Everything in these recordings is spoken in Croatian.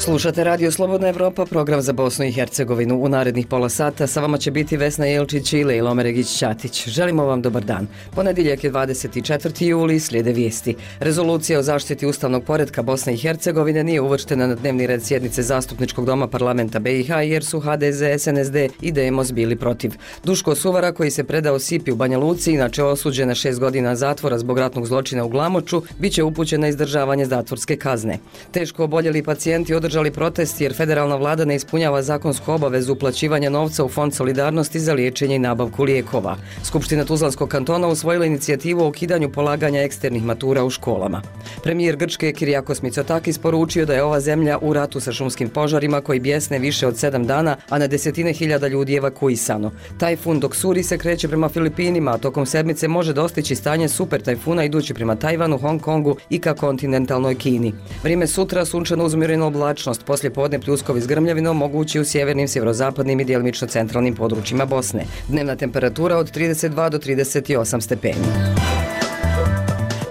Slušate Radio Slobodna Evropa, program za Bosnu i Hercegovinu. U narednih pola sata sa vama će biti Vesna Jelčić i Lejla Omeregić-Ćatić. Želimo vam dobar dan. Ponedjeljak je 24. juli, slijede vijesti. Rezolucija o zaštiti ustavnog poretka Bosne i Hercegovine nije uvrštena na dnevni red sjednice Zastupničkog doma parlamenta BiH jer su HDZ, SNSD i Demos bili protiv. Duško Suvara, koji se predao Sipi u Banja Luci, inače osuđen na 6 godina zatvora zbog ratnog zločina u Glamoču, bit će upućen na izdržavanje zatvorske kazne. Teško oboljeli pacijenti održali protest jer federalna vlada ne ispunjava zakonsku obavezu uplaćivanja novca u Fond solidarnosti za liječenje i nabavku lijekova. Skupština Tuzlanskog kantona usvojila inicijativu o ukidanju polaganja eksternih matura u školama. Premijer Grčke Kyriakos Mitsotakis poručio da je ova zemlja u ratu sa šumskim požarima koji bjesne više od 7 dana, a na desetine hiljada ljudi evakuisano. Tajfun Doksuri se kreće prema Filipinima, a tokom sedmice može dostići stanje super tajfuna idući prema Tajvanu, Hong Kongu i ka kontinentalnoj Kini. Vrijeme sutra sunčano uz umjerenu oblačnost, poslije podne pljuskovi s grmljavinom mogući u sjevernim, sjeverozapadnim i djelomično centralnim područjima Bosne. Dnevna temperatura od 32 do 38 stepeni.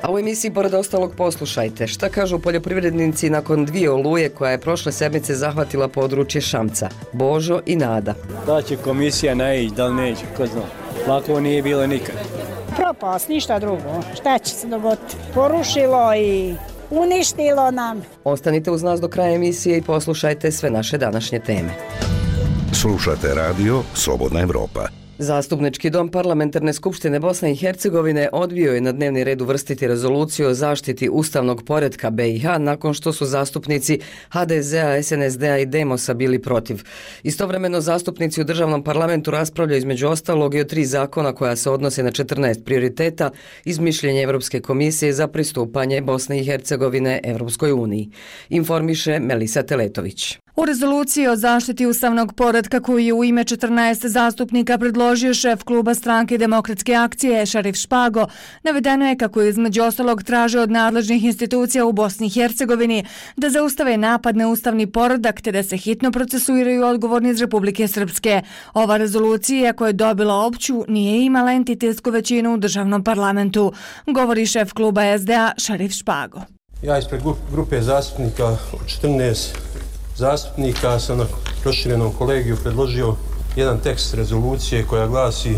A u emisiji pored ostalog poslušajte šta kažu poljoprivrednici nakon 2 oluje koja je prošle sedmice zahvatila područje Šamca. Božo i Nada. Da će komisija naići, da li neće, ko zna. Lako nije bilo nikad. Propast, ništa drugo. Šta će se dogoditi? Porušilo i uništilo nam. Ostanite uz nas do kraja emisije i poslušajte sve naše današnje teme. Slušate radio Slobodna Evropa. Zastupnički dom Parlamentarne skupštine Bosne i Hercegovine odbio je na dnevni red uvrstiti rezoluciju o zaštiti ustavnog poretka BiH nakon što su zastupnici HDZ-a, SNSD-a i Demosa bili protiv. Istovremeno zastupnici u državnom parlamentu raspravljaju između ostalog i o 3 zakona koja se odnose na 14 prioriteta iz mišljenja Evropske komisije za pristupanje Bosne i Hercegovine Evropskoj uniji. Informiše Melisa Teletović. U rezoluciji o zaštiti ustavnog poretka koju je u ime 14 zastupnika predložio šef kluba Stranke demokratske akcije Šarif Špago, navedeno je kako je između ostalog traže od nadležnih institucija u Bosni i Hercegovini da zaustave napad na ustavni poredak te da se hitno procesuiraju odgovorni iz Republike Srpske. Ova rezolucija koja je dobila opću nije imala entitetsku većinu u državnom parlamentu, govori šef kluba SDA Šarif Špago. Ja ispred grupe zastupnika od 14 zastupnika sam na proširenom kolegiju predložio jedan tekst rezolucije koja glasi: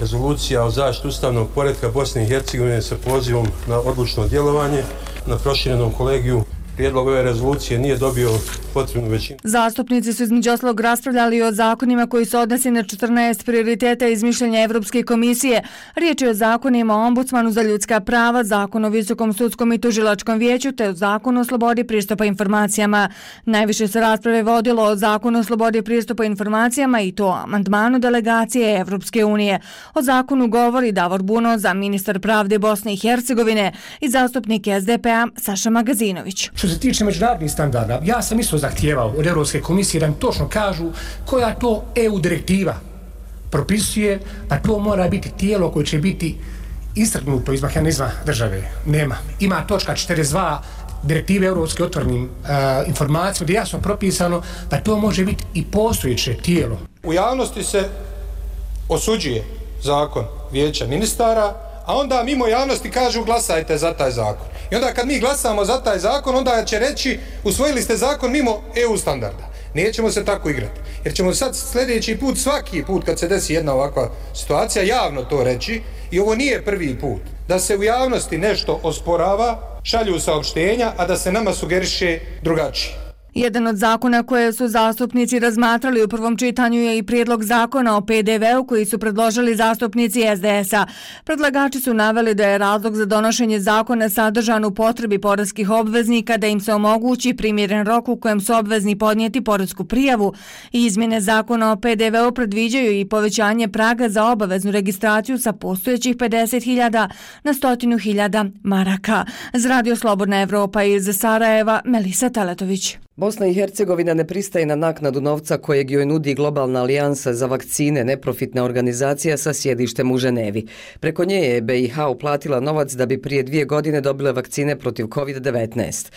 Rezolucija o zaštiti ustavnog poretka Bosne i Hercegovine sa pozivom na odlučno djelovanje. Na proširenom kolegiju prijedlog ove rezolucije nije dobio potrebnu većinu. Zastupnici su između ostalog raspravljali o zakonima koji se odnose na 14 prioriteta iz mišljenja Evropske komisije. Riječ je o zakonima o ombudsmanu za ljudska prava, zakon o visokom sudskom i tužilačkom vijeću te o zakonu o slobodi pristupa informacijama. Najviše se rasprave vodilo o zakonu o slobodi pristupa informacijama i to o amandmanu delegacije Evropske unije. O zakonu govori Davor Buno, ministar pravde Bosne i Hercegovine, i zastupnik SDP-a Saša Magazinović. Što se tiče međunarodnih standarda, ja sam isto zahtijevao od Europske komisije da mi točno kažu koja to EU direktiva propisuje, pa to mora biti tijelo koje će biti istrgnuto iz mehanizma države. Nema. Ima točka 42 direktive Europske o otvorenim informacijama gdje je jasno propisano da to može biti i postojeće tijelo. U javnosti se osuđuje zakon vijeća ministara, a onda mimo javnosti kažu glasajte za taj zakon. I onda kad mi glasamo za taj zakon, onda će reći usvojili ste zakon mimo EU standarda. Nećemo se tako igrati. Jer ćemo sad sljedeći put, svaki put kad se desi jedna ovakva situacija, javno to reći, i ovo nije prvi put, da se u javnosti nešto osporava, šalju saopštenja, a da se nama sugeriše drugačije. Jedan od zakona koje su zastupnici razmatrali u prvom čitanju je i prijedlog zakona o PDV-u koji su predložili zastupnici SDS-a. Predlagači su naveli da je razlog za donošenje zakona sadržan u potrebi poreskih obveznika da im se omogući primjeren rok u kojem su obvezni podnijeti poresku prijavu. Izmjene zakona o PDV-u predviđaju i povećanje praga za obaveznu registraciju sa postojećih 50.000 na 100.000 maraka. Za Radio Slobodna Evropa iz Sarajeva, Melisa Teletović. Bosna i Hercegovina ne pristaje na naknadu novca kojeg joj nudi Globalna alijansa za vakcine, neprofitna organizacija sa sjedištem u Ženevi. Preko nje je BiH uplatila novac da bi prije 2 godine dobile vakcine protiv COVID-19.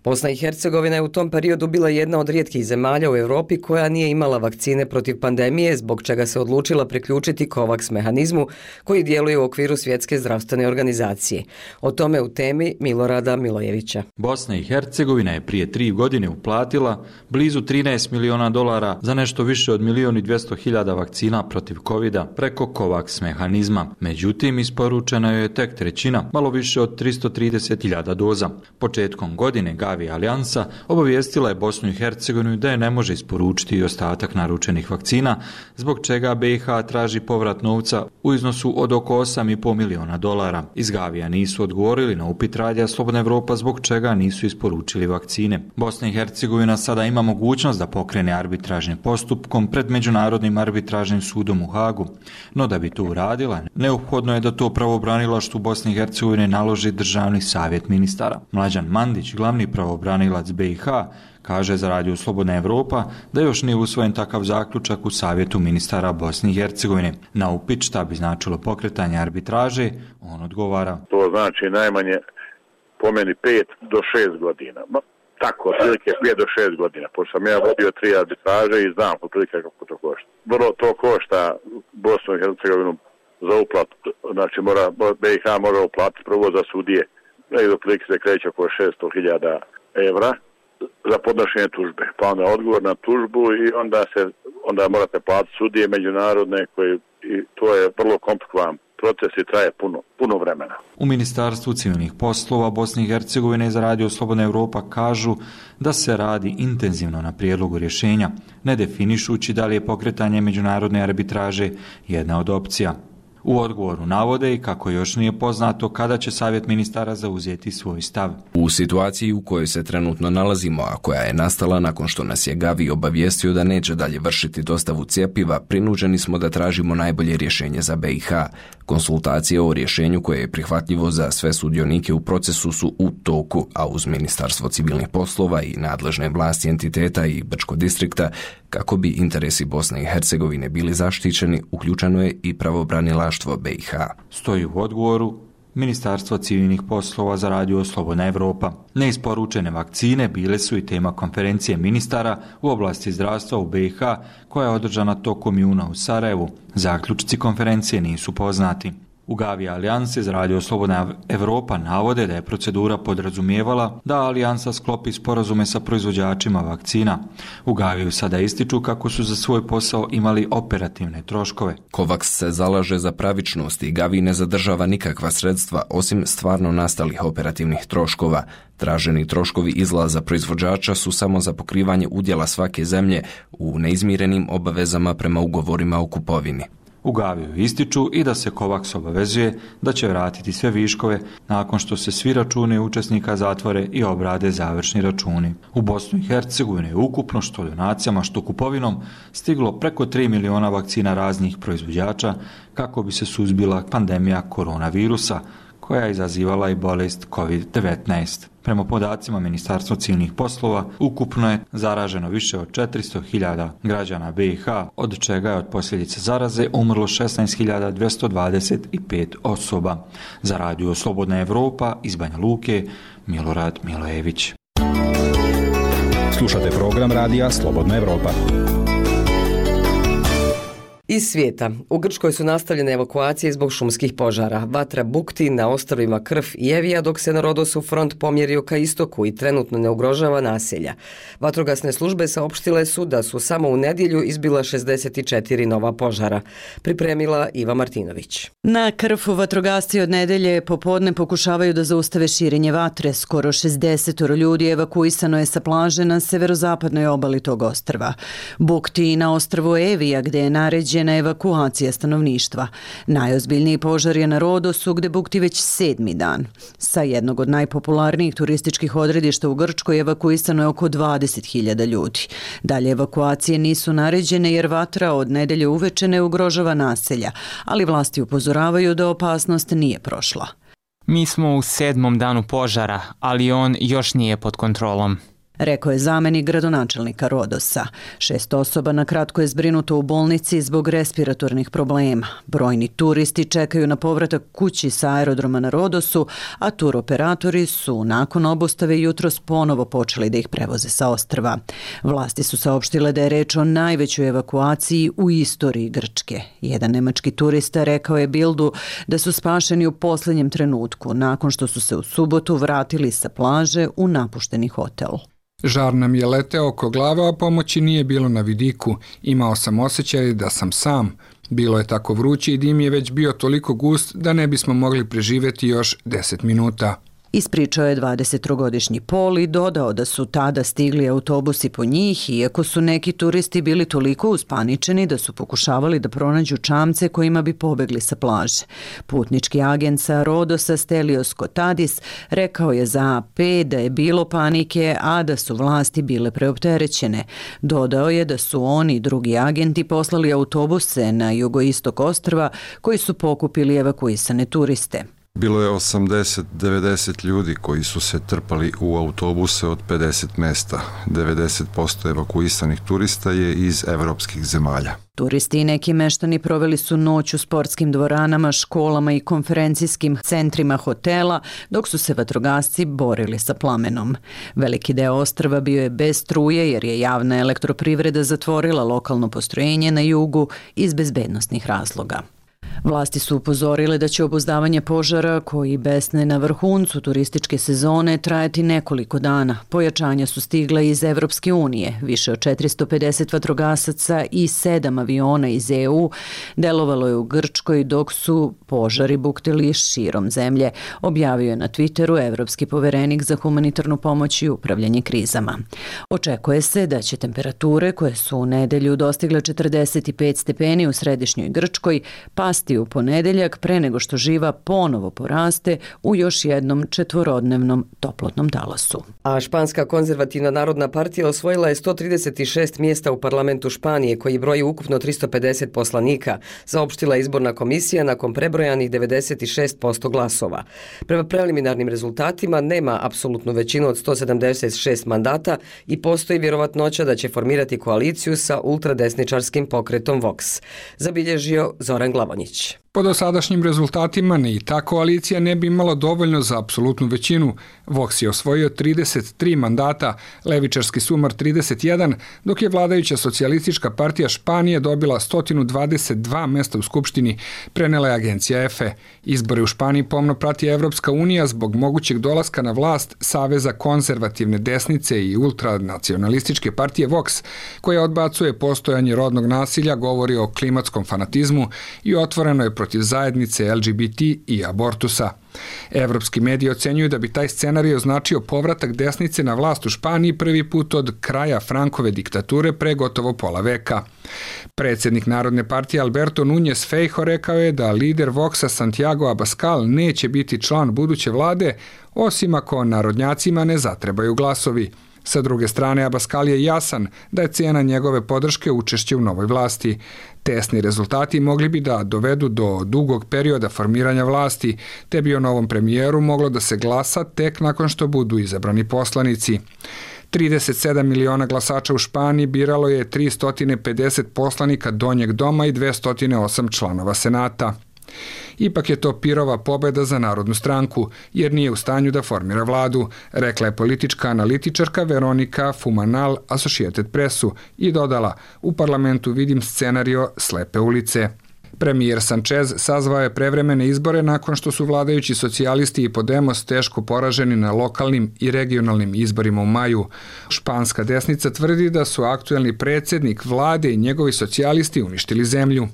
Bosna i Hercegovina je u tom periodu bila jedna od rijetkih zemalja u Europi koja nije imala vakcine protiv pandemije, zbog čega se odlučila priključiti COVAX mehanizmu koji djeluje u okviru Svjetske zdravstvene organizacije. O tome u temi Milorada Milojevića. Bosna i Hercegovina je prije 3 godine uplatila blizu 13 miliona dolara za nešto više od 1.200.000 vakcina protiv covida preko COVAX mehanizma. Međutim, isporučena je tek trećina, malo više od 330.000 doza. Početkom godine Gavi Alijansa obavijestila je Bosnu i Hercegovinu da je ne može isporučiti i ostatak naručenih vakcina, zbog čega BiH traži povrat novca u iznosu od oko 8,5 miliona dolara. Iz Gavija nisu odgovorili na upit Radija Slobodna Evropa zbog čega nisu isporučili vakcine. Bosna i Hercegovina sada ima mogućnost da pokrene arbitražnim postupkom pred Međunarodnim arbitražnim sudom u Hagu, no da bi to uradila, neophodno je da to pravobranilaštvu Bosne i Hercegovine naloži Državni savjet ministara. Mlađan Mandić, glavni pravobranilac BiH, kaže za Radio Slobodna Evropa da još nije usvojen takav zaključak u Savjetu ministara Bosne i Hercegovine. Na upit šta bi značilo pokretanje arbitraže, on odgovara. To znači najmanje po meni 5 do 6 godina. Tako, otprilike 5 do 6 godina. Pošto sam ja vodio 3 arbitraže i znam otprilike kako to košta. Vrlo to košta Bosnu i Hercegovinu za uplatu. Znači BiH mora uplatiti prvo za sudije. Negdje otprilike se kreće oko 600.000 evra za podnošenje tužbe. Pa onda odgovor na tužbu i onda morate platiti sudije međunarodne i to je vrlo komplikovan proces i traje puno vremena. U Ministarstvu civilnih poslova Bosne i Hercegovine za Radio Slobodna Evropa kažu da se radi intenzivno na prijedlogu rješenja, ne definišući da li je pokretanje međunarodne arbitraže jedna od opcija. U odgovoru navode i kako još nije poznato kada će Savjet ministara zauzeti svoj stav. U situaciji u kojoj se trenutno nalazimo, a koja je nastala nakon što nas je Gavi obavijestio da neće dalje vršiti dostavu cjepiva, prinuđeni smo da tražimo najbolje rješenje za BiH. Konsultacije o rješenju koje je prihvatljivo za sve sudionike u procesu su u toku, a uz Ministarstvo civilnih poslova i nadležne vlasti entiteta i Brčko distrikta, kako bi interesi Bosne i Hercegovine bili zaštićeni, uključeno je i pravobranilaštvo BiH. Stoji u odgovoru Ministarstvo civilnih poslova za Radio Slobodna Evropa. Neisporučene vakcine bile su i tema konferencije ministara u oblasti zdravstva u BiH koja je održana tokom juna u Sarajevu. Zaključci konferencije nisu poznati. U Gavi Alijanse za Radio Slobodna Evropa navode da je procedura podrazumijevala da Alijansa sklopi sporazume sa proizvođačima vakcina. U Gaviju sada ističu kako su za svoj posao imali operativne troškove. COVAX se zalaže za pravičnost i Gavi ne zadržava nikakva sredstva osim stvarno nastalih operativnih troškova. Traženi troškovi izlaza proizvođača su samo za pokrivanje udjela svake zemlje u neizmirenim obavezama prema ugovorima o kupovini. U Gaviju ističu i da se COVAX obavezuje da će vratiti sve viškove nakon što se svi računi učesnika zatvore i obrade završni računi. U Bosnu i Hercegovini je ukupno što donacijama što kupovinom stiglo preko 3 miliona vakcina raznih proizvođača kako bi se suzbila pandemija koronavirusa koja je izazivala i bolest COVID-19. Prema podacima Ministarstva civilnih poslova, ukupno je zaraženo više od 400.000 građana BiH, od čega je od posljedice zaraze umrlo 16.225 osoba. Za Radio Slobodna Evropa iz Banja Luke, Milorad Milojević. Slušate program Radija Slobodna Evropa. Iz svijeta. U Grčkoj su nastavljene evakuacije zbog šumskih požara. Vatra bukti na ostrvima Krf i Evija, dok se na Rodosu front pomjerio ka istoku i trenutno ne ugrožava naselja. Vatrogasne službe saopštile su da su samo u nedjelju izbila 64 nova požara. Pripremila Iva Martinović. Na Krfu vatrogasci od nedelje popodne pokušavaju da zaustave širenje vatre. Skoro 60 ljudi evakuisano je sa plaže na severozapadnoj obali tog ostrva. Bukti na ostrvu Evija, gde je naređena evakuacija stanovništva. Najozbiljniji požar je na Rodosu, gde bukti već 7. dan. Sa jednog od najpopularnijih turističkih odredišta u Grčkoj evakuisano je oko 20.000 ljudi. Dalje evakuacije nisu naređene jer vatra od nedelje uveče ne ugrožava naselja, ali vlasti upozoravaju da opasnost nije prošla. Mi smo u 7. danu požara, ali on još nije pod kontrolom, rekao je zamenik gradonačelnika Rodosa. 6 osoba na kratko je zbrinuto u bolnici zbog respiratornih problema. Brojni turisti čekaju na povratak kući sa aerodroma na Rodosu, a turoperatori su nakon obustave jutros ponovo počeli da ih prevoze sa ostrva. Vlasti su saopštile da je reč o najvećoj evakuaciji u istoriji Grčke. Jedan nemački turista rekao je Bildu da su spašeni u posljednjem trenutku, nakon što su se u subotu vratili sa plaže u napušteni hotel. Žar nam je leteo oko glave, a pomoći nije bilo na vidiku. Imao sam osjećaj da sam sam. Bilo je tako vruće i dim je već bio toliko gust da ne bismo mogli preživjeti još 10 minuta. Ispričao je 23-godišnji Pol i dodao da su tada stigli autobusi po njih, iako su neki turisti bili toliko uspaničeni da su pokušavali da pronađu čamce kojima bi pobegli sa plaže. Putnički agent sa Rodosa Stelios Kotadis rekao je za AP da je bilo panike, a da su vlasti bile preopterećene. Dodao je da su oni i drugi agenti poslali autobuse na jugoistok ostrva koji su pokupili evakuisane turiste. Bilo je 80-90 ljudi koji su se trpali u autobuse od 50 mesta. 90% evakuisanih turista je iz evropskih zemalja. Turisti i neki meštani proveli su noć u sportskim dvoranama, školama i konferencijskim centrima hotela, dok su se vatrogasci borili sa plamenom. Veliki deo ostrva bio je bez struje jer je javna elektroprivreda zatvorila lokalno postrojenje na jugu iz bezbednosnih razloga. Vlasti su upozorile da će obuzdavanje požara, koji besne na vrhuncu turističke sezone, trajati nekoliko dana. Pojačanja su stigla iz Evropske unije. Više od 450 vatrogasaca i 7 aviona iz EU delovalo je u Grčkoj dok su požari buktili širom zemlje, objavio je na Twitteru evropski poverenik za humanitarnu pomoć i upravljanje krizama. Očekuje se da će temperature, koje su u nedelju dostigle 45 stepeni u središnjoj Grčkoj, pasti u ponedeljak pre nego što živa ponovo poraste u još jednom četvorodnevnom toplotnom talasu. A Španska konzervativna narodna partija osvojila je 136 mjesta u parlamentu Španije, koji broji ukupno 350 poslanika, saopštila izborna komisija nakon prebrojanih 96% glasova. Prema preliminarnim rezultatima nema apsolutnu većinu od 176 mandata i postoji vjerovatnoća da će formirati koaliciju sa ultradesničarskim pokretom Vox, zabilježio Zoran Glavonjić. Po dosadašnjim rezultatima ni ta koalicija ne bi imala dovoljno za apsolutnu većinu. Vox je osvojio 33 mandata, levičarski Sumar 31, dok je vladajuća socijalistička partija Španije dobila 122 mesta u Skupštini, prenela je agencija EFE. Izbore u Španiji pomno prati Evropska unija zbog mogućeg dolaska na vlast Saveza konzervativne desnice i ultranacionalističke partije Vox, koja odbacuje postojanje rodnog nasilja, govori o klimatskom fanatizmu i otvoreno je protiv zajednice LGBT i abortusa. Evropski mediji ocenjuju da bi taj scenarij označio povratak desnice na vlast u Španiji prvi put od kraja Frankove diktature pre gotovo pola veka. Predsjednik Narodne partije Alberto Núñez Feijóo rekao je da lider Voxa Santiago Abascal neće biti član buduće vlade, osim ako narodnjacima ne zatrebaju glasovi. Sa druge strane, Abascal je jasan da je cijena njegove podrške učešće u novoj vlasti. Tesni rezultati mogli bi da dovedu do dugog perioda formiranja vlasti, te bi o novom premijeru moglo da se glasa tek nakon što budu izabrani poslanici. 37 miliona glasača u Španiji biralo je 350 poslanika donjeg doma i 208 članova senata. Ipak je to pirova pobjeda za Narodnu stranku, jer nije u stanju da formira vladu, rekla je politička analitičarka Veronika Fumanal Associated Pressu i dodala: u parlamentu vidim scenario slepe ulice. Premijer Sanchez sazvao je prevremene izbore nakon što su vladajući socijalisti i Podemos teško poraženi na lokalnim i regionalnim izborima u maju. Španska desnica tvrdi da su aktuelni predsjednik vlade i njegovi socijalisti uništili zemlju.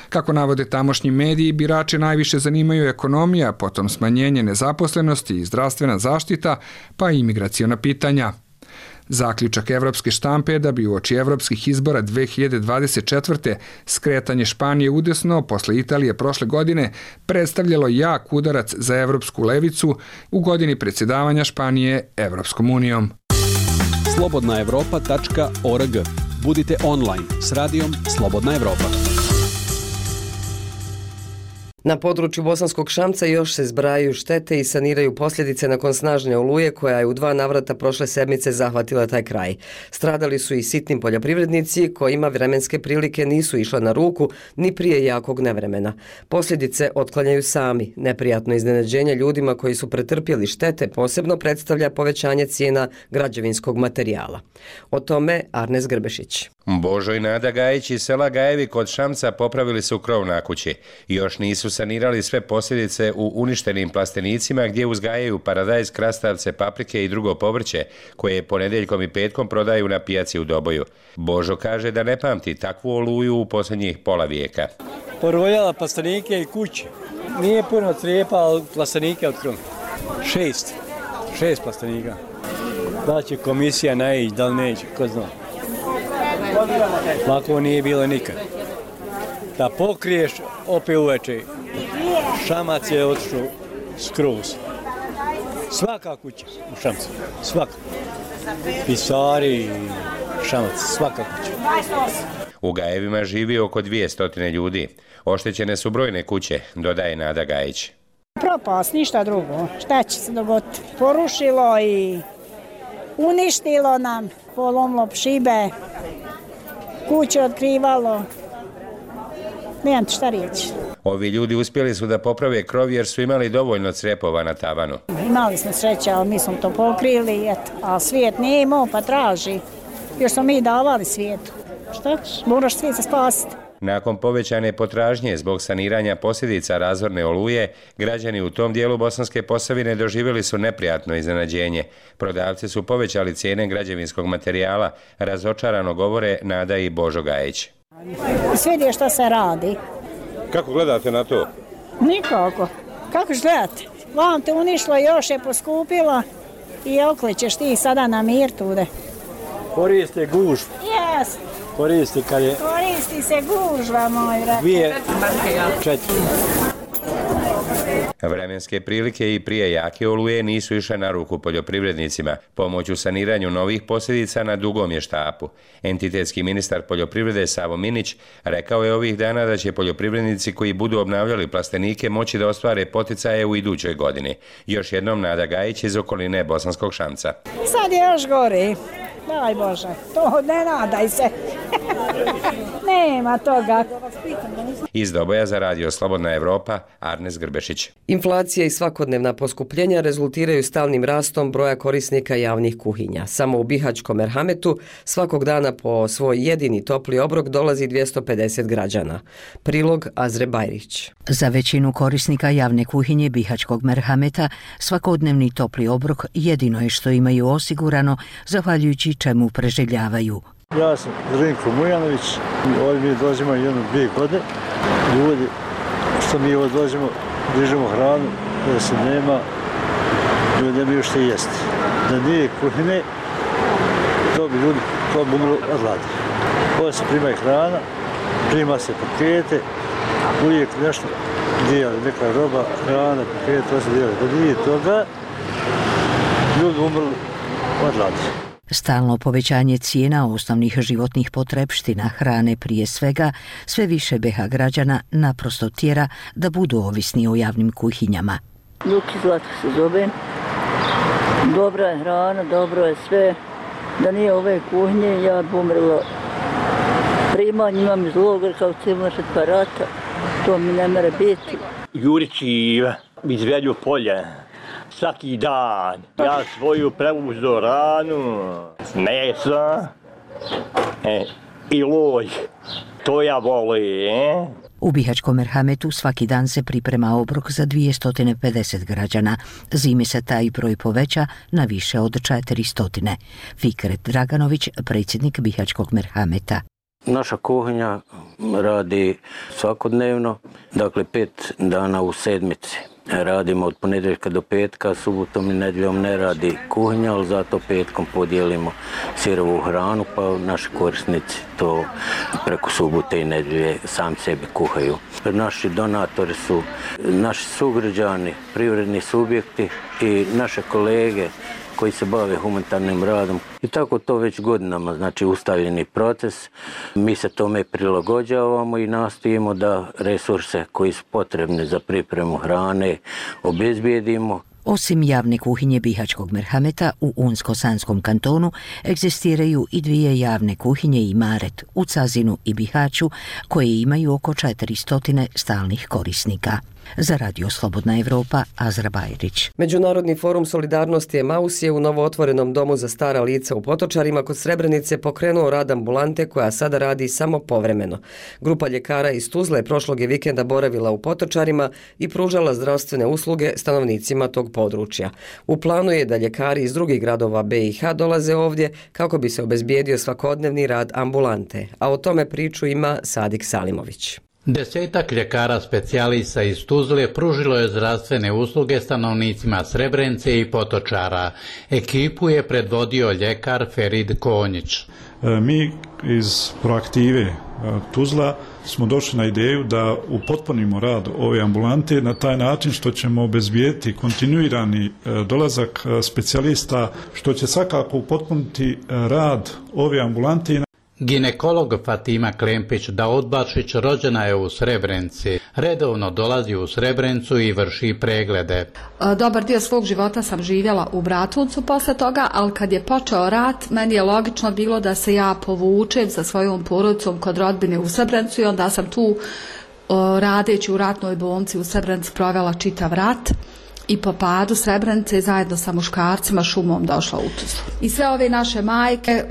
Kako navode tamošnji mediji, birače najviše zanimaju ekonomija, potom smanjenje nezaposlenosti i zdravstvena zaštita, pa i imigraciona pitanja. Zaključak evropske štampe je da bi uoči evropskih izbora 2024. skretanje Španije udesno posle Italije prošle godine predstavljalo jak udarac za evropsku levicu u godini predsjedavanja Španije Evropskom unijom. Slobodnaevropa.org. Budite online s radijom Slobodna Evropa. Na području Bosanskog Šamca još se zbrajaju štete i saniraju posljedice nakon snažne oluje koja je u 2 navrata prošle sedmice zahvatila taj kraj. Stradali su i sitni poljoprivrednici kojima vremenske prilike nisu išle na ruku ni prije jakog nevremena. Posljedice otklanjaju sami. Neprijatno iznenađenje ljudima koji su pretrpjeli štete posebno predstavlja povećanje cijena građevinskog materijala. O tome Arnes Grbešić. Božo i Nada Gajić iz sela Gajevi kod Šamca popravili su krov na kući. Još nisu sanirali sve posljedice u uništenim plastenicima gdje uzgajaju paradajz, krastavce, paprike i drugo povrće koje ponedjeljkom i petkom prodaju na pijaci u Doboju. Božo kaže da ne pamti takvu oluju u posljednjih pola vijeka. Porojala plastenike i kuće. Nije puno crijepa, ali plastenike od krova. 6 plastenika. Da će komisija naići, da li neće, ko zna. Lako nije bilo nikad. Da pokriješ, opet uveče. Šamac je otišao skroz. Svaka kuća u Šamcu, svaka. Pisari, Šamac, svaka kuća. U Gajevima živi oko 200 ljudi. Oštećene su brojne kuće, dodaje Nada Gajić. Propast, ništa drugo. Šta će se dogoditi? Porušilo i uništilo nam, polomlo šibe, kuće otkrivalo. Nemam šta reći. Ovi ljudi uspjeli su da poprave krov jer su imali dovoljno crepova na tavanu. Imali smo sreće, ali mi smo to pokrili, a svijet nije imao pa traži. Još smo mi davali svijetu. Šta ćeš? Moraš svijet se spasiti. Nakon povećane potražnje zbog saniranja posljedica razorne oluje, građani u tom dijelu Bosanske Posavine doživjeli su neprijatno iznenađenje. Prodavci su povećali cijene građevinskog materijala, razočarano govore Nada i Božo Gajić. Svidi što se radi. Kako gledate na to? Nikako. Kako ćeš gledati? Vam te unišlo, još je poskupilo i okličeš ti sada na mir tude. Koriste gužvu. Jes. Koristi se gužva, moj brat. 2-4. Vremenske prilike i prije jake oluje nisu išle na ruku poljoprivrednicima. Pomoć u saniranju novih posljedica na dugom je štapu. Entitetski ministar poljoprivrede Savo Minić rekao je ovih dana da će poljoprivrednici koji budu obnavljali plastenike moći da ostvare poticaje u idućoj godini. Još jednom Nada Gajić iz okoline Bosanskog Šamca. Sad je još gori. Daj Bože, to ne nadaj se. Nema toga. Iz Doboja za Radio Slobodna Evropa, Arnes Grbešić. Inflacija i svakodnevna poskupljenja rezultiraju stalnim rastom broja korisnika javnih kuhinja. Samo u Bihaćkom Merhametu svakog dana po svoj jedini topli obrok dolazi 250 građana. Prilog Azre Bajrić. Za većinu korisnika javne kuhinje Bihaćkog Merhameta svakodnevni topli obrok jedino je što imaju osigurano, zahvaljujući čemu preživljavaju. Ja sam Zrinko Mujanović, ovdje mi dođemo 1-2 godine. Ljudi, što mi ovdje dođemo, dižemo hranu, da se nema, ljudi nemaju što jesti. Da nije kuhine, to bi ljudi to moglo odladiti. Ovdje se prima i hrana, prima se pakete, uvijek nešto dijeli, neka roba, hrana, pakete, to se dijeli. Da nije toga, ljudi umrli odladiti. Stalno povećanje cijena osnovnih životnih potrepština, hrane prije svega, sve više BiH građana naprosto tjera da budu ovisni o javnim kuhinjama. Luki Zlatko se zove. Dobra je hrana, dobro je sve. Da nije ove kuhinje, ja bi umrla. Primanje imam iz logora kao civilna žrtva rata. To mi ne mere biti. Jurići iz Veljog polja. Svaki dan. Ja svoju preuzeo ranu, mesa i loj. To ja volim. U Bihaćkom Merhametu svaki dan se priprema obrok za 250 građana. Zime se taj broj poveća na više od 400. Fikret Draganović, predsjednik Bihaćkog Merhameta. Naša kuhinja radi svakodnevno, dakle 5 dana u sedmici. Radimo od ponedjeljka do petka, subotom i nedjeljom ne radi kuhinja, ali zato petkom podijelimo sirovu hranu, pa naši korisnici to preko subote i nedjelje sami sebi kuhaju. Naši donatori su naši sugrađani, privredni subjekti i naše kolege koji se bave humanitarnim radom. I tako to već godinama, znači ustaljeni proces. Mi se tome prilagođavamo i nastojimo da resurse koji su potrebni za pripremu hrane obezbijedimo. Osim javne kuhinje Bihaćkog Merhameta, u Unsko-Sanskom kantonu egzistiraju i 2 javne kuhinje i Imaret u Cazinu i Bihaću, koje imaju oko 400 stalnih korisnika. Za Radio Slobodna Evropa, Azra Bajrić. Međunarodni forum solidarnosti Emaus je u novootvorenom domu za stara lica u Potočarima kod Srebrenice pokrenuo rad ambulante koja sada radi samo povremeno. Grupa ljekara iz Tuzle prošlog je vikenda boravila u Potočarima i pružala zdravstvene usluge stanovnicima tog područja. U planu je da ljekari iz drugih gradova BiH dolaze ovdje kako bi se obezbijedio svakodnevni rad ambulante, a o tome priču ima Sadik Salimović. 10 ljekara specijalista iz Tuzle pružilo je zdravstvene usluge stanovnicima Srebrenice i Potočara. Ekipu je predvodio ljekar Ferid Konjić. Mi iz Proaktive Tuzla smo došli na ideju da upotpunimo rad ove ambulante na taj način što ćemo obezbijeti kontinuirani dolazak specijalista, što će svakako upotpuniti rad ove ambulante. Ginekolog Fatima Klempić Daudbašić rođena je u Srebrenici. Redovno dolazi u Srebrenicu i vrši preglede. Dobar dio svog života sam živjela u Bratuncu posle toga, ali kad je počeo rat, meni je logično bilo da se ja povučem sa svojom porodicom kod rodbine u Srebrenicu i onda sam tu radeći u ratnoj bolnici u Srebrenici provela čitav rat. I po padu Srebrenice zajedno sa muškarcima šumom došla u Tuzlu. I sve ove naše majke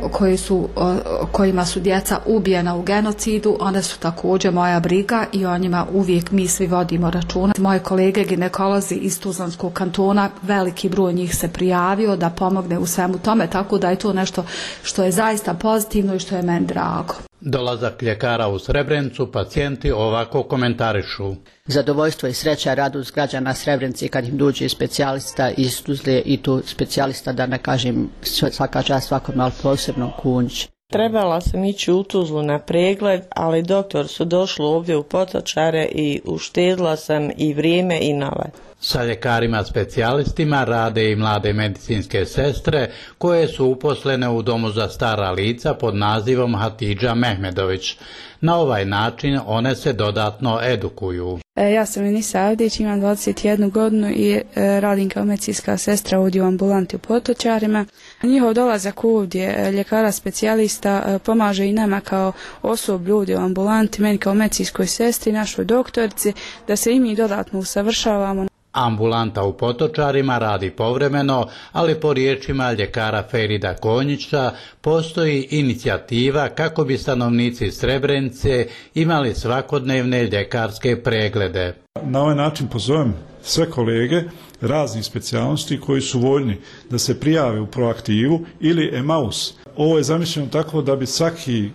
kojima su djeca ubijena u genocidu, one su također moja briga i o njima uvijek mi svi vodimo računa. Moje kolege ginekolozi iz Tuzlanskog kantona, veliki broj njih se prijavio da pomogne u svemu tome, tako da je to nešto što je zaista pozitivno i što je meni drago. Dolazak ljekara u Srebrenicu pacijenti ovako komentarišu. Zadovoljstvo i sreća, radost građana Srebrenice kad im dođe specijalista iz Tuzle i tu specijalista, da ne kažem svaka čast svakom, ali posebno Kunjić. Trebala sam ići u Tuzlu na pregled, ali doktor su došli ovdje u Potočare i uštedila sam i vrijeme i novac. Sa ljekarima specijalistima rade i mlade medicinske sestre koje su uposlene u domu za stara lica pod nazivom Hatidža Mehmedović. Na ovaj način one se dodatno edukuju. Ja sam Enisa Avdić, imam 21 godinu i radim kao medicinska sestra ovdje u ambulanti u Potočarima. Njihov dolazak ovdje ljekara specijalista pomaže i nama kao osoblju ovdje u ambulanti, meni kao medicinskoj sestri, našoj doktorici, da se i mi dodatno usavršavamo. Ambulanta u Potočarima radi povremeno, ali po riječima ljekara Ferida Konjića postoji inicijativa kako bi stanovnici Srebrenice imali svakodnevne ljekarske preglede. Na ovaj način pozovem sve kolege raznih specijalnosti koji su voljni da se prijave u Proaktivu ili Emaus. Ovo je zamišljeno tako da bi svaki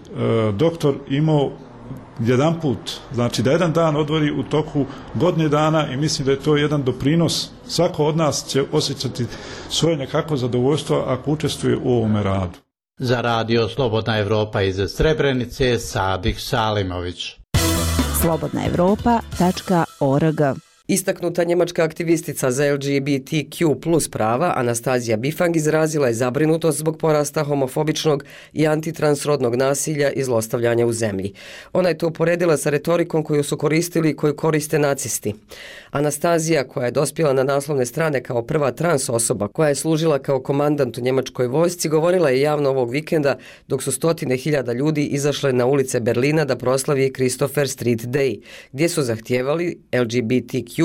doktor imao jedan put, znači da jedan dan odvori u toku godine dana i mislim da je to jedan doprinos. Svako od nas će osjećati svoje nekako zadovoljstvo ako učestvuje u ovome radu. Za Radio Slobodna Evropa iz Srebrenice, Sadik Salimović. slobodnaevropa.org. Istaknuta njemačka aktivistica za LGBTQ+ prava Anastazija Bifang izrazila je zabrinutost zbog porasta homofobičnog i antitransrodnog nasilja i zlostavljanja u zemlji. Ona je to uporedila sa retorikom koju su koristili i koju koriste nacisti. Anastazija, koja je dospjela na naslovne strane kao prva trans osoba koja je služila kao komandant u njemačkoj vojsci, govorila je javno ovog vikenda dok su stotine hiljada ljudi izašle na ulice Berlina da proslavi Christopher Street Day, gdje su zahtijevali LGBTQ+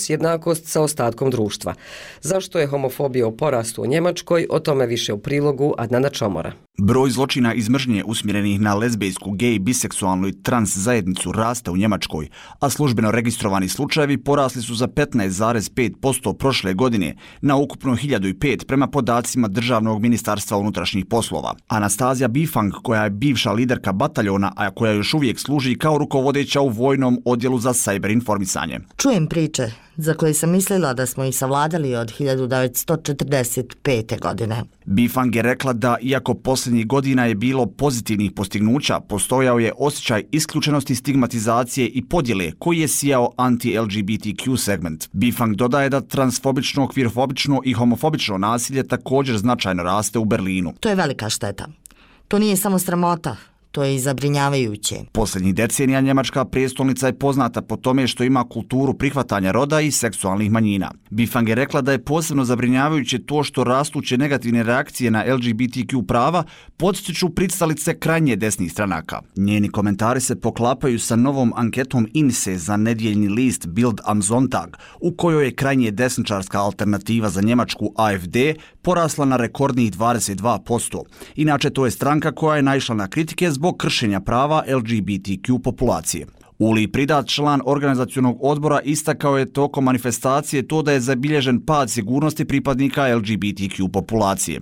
jednakost sa ostatkom društva. Zašto je homofobija u porastu u Njemačkoj? O tome više u prilogu Adnana Čomora. Broj zločina iz mržnje usmjerenih na lezbejsku, gej, biseksualnu i trans zajednicu raste u Njemačkoj, a službeno registrovani slučajevi porasli su za 15,5% prošle godine na ukupno 1005 prema podacima Državnog ministarstva unutrašnjih poslova. Anastazija Bifang, koja je bivša liderka bataljona, a koja još uvijek služi kao rukovodeća u vojnom odjelu za sajber informisanje. Čujem priče za koje sam mislila da smo ih savladali od 1945. godine. Bifang je rekla da, iako posljednjih godina je bilo pozitivnih postignuća, postojao je osjećaj isključenosti, stigmatizacije i podjele koji je sijao anti-LGBTQ segment. Bifang dodaje da transfobično, kvirfobično i homofobično nasilje također značajno raste u Berlinu. To je velika šteta. To nije samo sramota. To je i zabrinjavajuće. Posljednjih decenija njemačka prijestolnica je poznata po tome što ima kulturu prihvatanja roda i seksualnih manjina. Bifang je rekla da je posebno zabrinjavajuće to što rastuće negativne reakcije na LGBTQ prava podstiču pristalice krajnje desnih stranaka. Njeni komentari se poklapaju sa novom anketom INSE za nedjeljni list Bild am Sonntag, u kojoj je krajnje desničarska alternativa za Njemačku AfD porasla na rekordnih 22%. Inače, to je stranka koja je naišla na kritike zbog kršenja prava LGBTQ populacije. Uli Pridat, član organizacionog odbora, istakao je tokom manifestacije to da je zabilježen pad sigurnosti pripadnika LGBTQ populacije.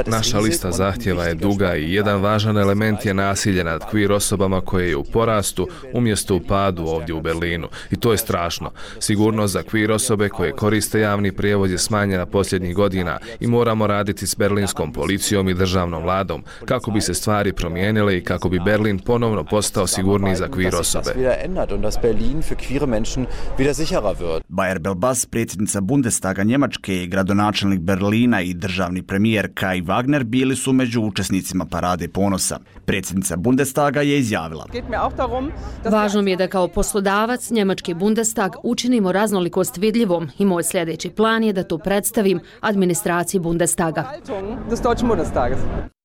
Naša lista zahtjeva je duga i jedan važan element je nasilje nad queer osobama koje je u porastu umjesto u padu ovdje u Berlinu. I to je strašno. Sigurnost za queer osobe koje koriste javni prijevoz je smanjena posljednjih godina i moramo raditi s berlinskom policijom i državnom vladom kako bi se stvari promijenile i kako bi Berlin ponovno postao sigurniji za queer osobe. Bayer Belbas, predsjednica Bundestaga Njemačke i gradonačelnik Berlina i državni premijer Kai Wagner bili su među učesnicima Parade ponosa. Predsjednica Bundestaga je izjavila: Važno mi je da kao poslodavac Njemački Bundestag učinimo raznolikost vidljivom i moj sljedeći plan je da to predstavim administraciji Bundestaga.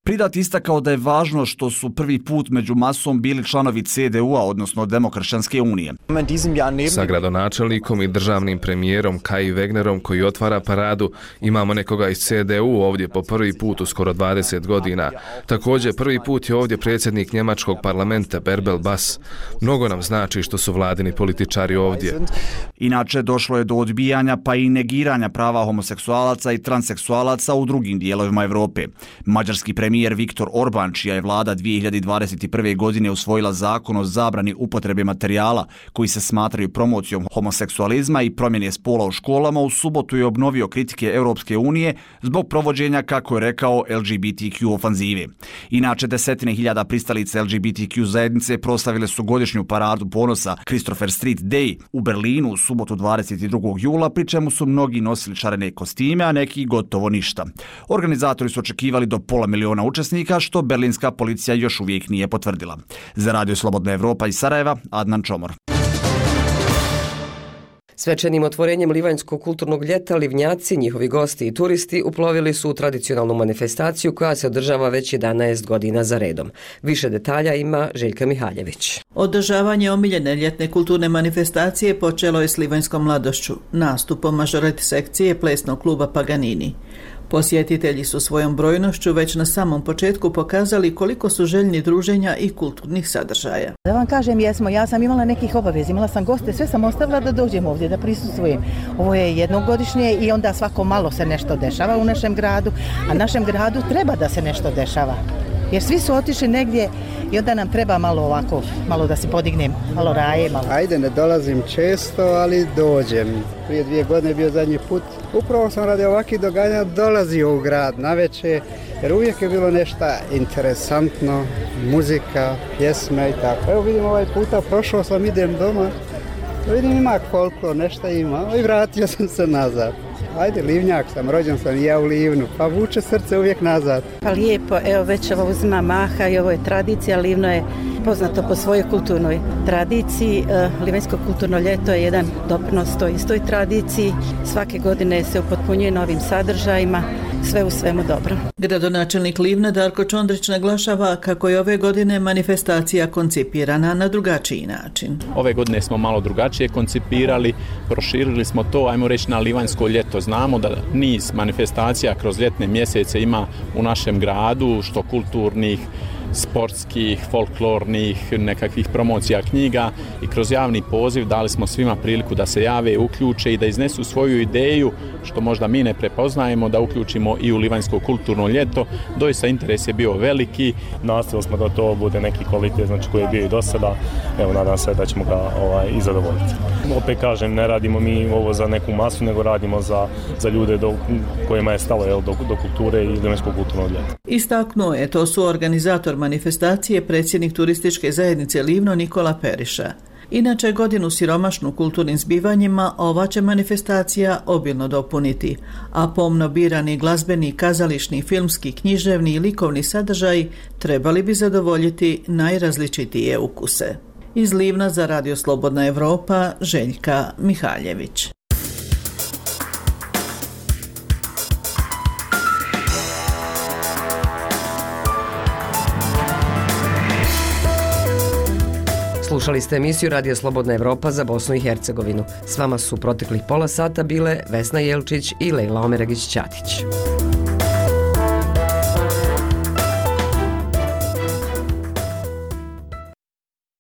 Pridat istakao da je važno što su prvi put među masom bili članovi CDU-a, odnosno Demokršćanske unije. Sa gradonačelnikom i državnim premijerom Kai Wegnerom koji otvara paradu, imamo nekoga iz CDU ovdje po prvi put u skoro 20 godina. Također prvi put je ovdje predsjednik njemačkog parlamenta Bärbel Bass. Mnogo nam znači što su vladini političari ovdje. Inače, došlo je do odbijanja pa i negiranja prava homoseksualaca i transseksualaca u drugim dijelovima Europe. Mađarski premijer Viktor Orban, čija je vlada 2021. godine usvojila zakon o zabrani upotrebe materijala koji se smatraju promocijom homoseksualizma i promjene spola u školama, u subotu je obnovio kritike Europske unije zbog provođenja, kako je rekao, LGBTQ ofanzive. Inače, desetine hiljada pristalica LGBTQ zajednice proslavile su godišnju paradu ponosa Christopher Street Day u Berlinu u subotu 22. jula, pri čemu su mnogi nosili šarene kostime, a neki gotovo ništa. Organizatori su očekivali do 500.000 učesnika, što berlinska policija još uvijek nije potvrdila. Za Radio Slobodna Evropa iz Sarajeva, Adnan Čomor. Svečanim otvorenjem Livanjskog kulturnog ljeta Livnjaci, njihovi gosti i turisti uplovili su u tradicionalnu manifestaciju koja se održava već 11 godina za redom. Više detalja ima Željka Mihaljević. Održavanje omiljene ljetne kulturne manifestacije počelo je s livanjskom mladošću, nastupom mažoret sekcije plesnog kluba Paganini. Posjetitelji su svojom brojnošću već na samom početku pokazali koliko su željni druženja i kulturnih sadržaja. Da vam kažem, ja sam imala nekih obaveza, imala sam goste, sve sam ostavila da dođem ovdje, da prisustvujem. Ovo je jednogodišnje i onda svako malo se nešto dešava u našem gradu, a našem gradu treba da se nešto dešava. Jer svi su otišli negdje i onda nam treba malo ovako, malo da se podignem, malo raje, malo. Ajde, ne dolazim često, ali dođem. Prije 2 godine bio zadnji put. Upravo sam radi ovakvih događanja dolazio u grad navečer, jer uvijek je bilo nešto interesantno, muzika, pjesme i tako. Evo vidim ovaj puta, prošao sam, idem doma, vidim ima koliko, nešto ima i vratio sam se nazad. Ajde, Livnjak sam, rođen sam i ja u Livnu, pa vuče srce uvijek nazad. Pa lijepo, evo već ovo uzima maha i ovo je tradicija. Livno je poznato po svojoj kulturnoj tradiciji. Livanjsko kulturno ljeto je jedan doprinos toj istoj tradiciji. Svake godine se upotpunjuje novim sadržajima, sve u svemu dobro. Gradonačelnik Livna Darko Čondrić naglašava kako je ove godine manifestacija koncipirana na drugačiji način. Ove godine smo malo drugačije koncipirali, proširili smo to, ajmo reći, na livanjsko ljeto. Znamo da niz manifestacija kroz ljetne mjesece ima u našem gradu, što kulturnih, sportskih, folklornih, nekakvih promocija knjiga, i kroz javni poziv dali smo svima priliku da se jave, uključe i da iznesu svoju ideju, što možda mi ne prepoznajemo, da uključimo i u Livanjsko kulturno ljeto. Doista interes je bio veliki. Nastavili smo da to bude neki kvalitet, znači koji je bio i do sada. Evo, nadam se da ćemo ga i zadovoljiti. Opet kažem, ne radimo mi ovo za neku masu, nego radimo za ljude kojima je stalo do kulture i Livanjskog kulturnog ljeta. Istaknuo je to su organizator manifestacije, predsjednik turističke zajednice Livno Nikola Periša. Inače, godinu siromašnu kulturnim zbivanjima ova će manifestacija obilno dopuniti, a pomno birani glazbeni, kazališni, filmski, književni i likovni sadržaj trebali bi zadovoljiti najrazličitije ukuse. Iz Livna za Radio Slobodna Evropa, Željka Mihaljević. Slušali ste emisiju Radio Slobodna Evropa za Bosnu i Hercegovinu. S vama su proteklih pola sata bile Vesna Jelčić i Lejla Omeregić-Ćatić.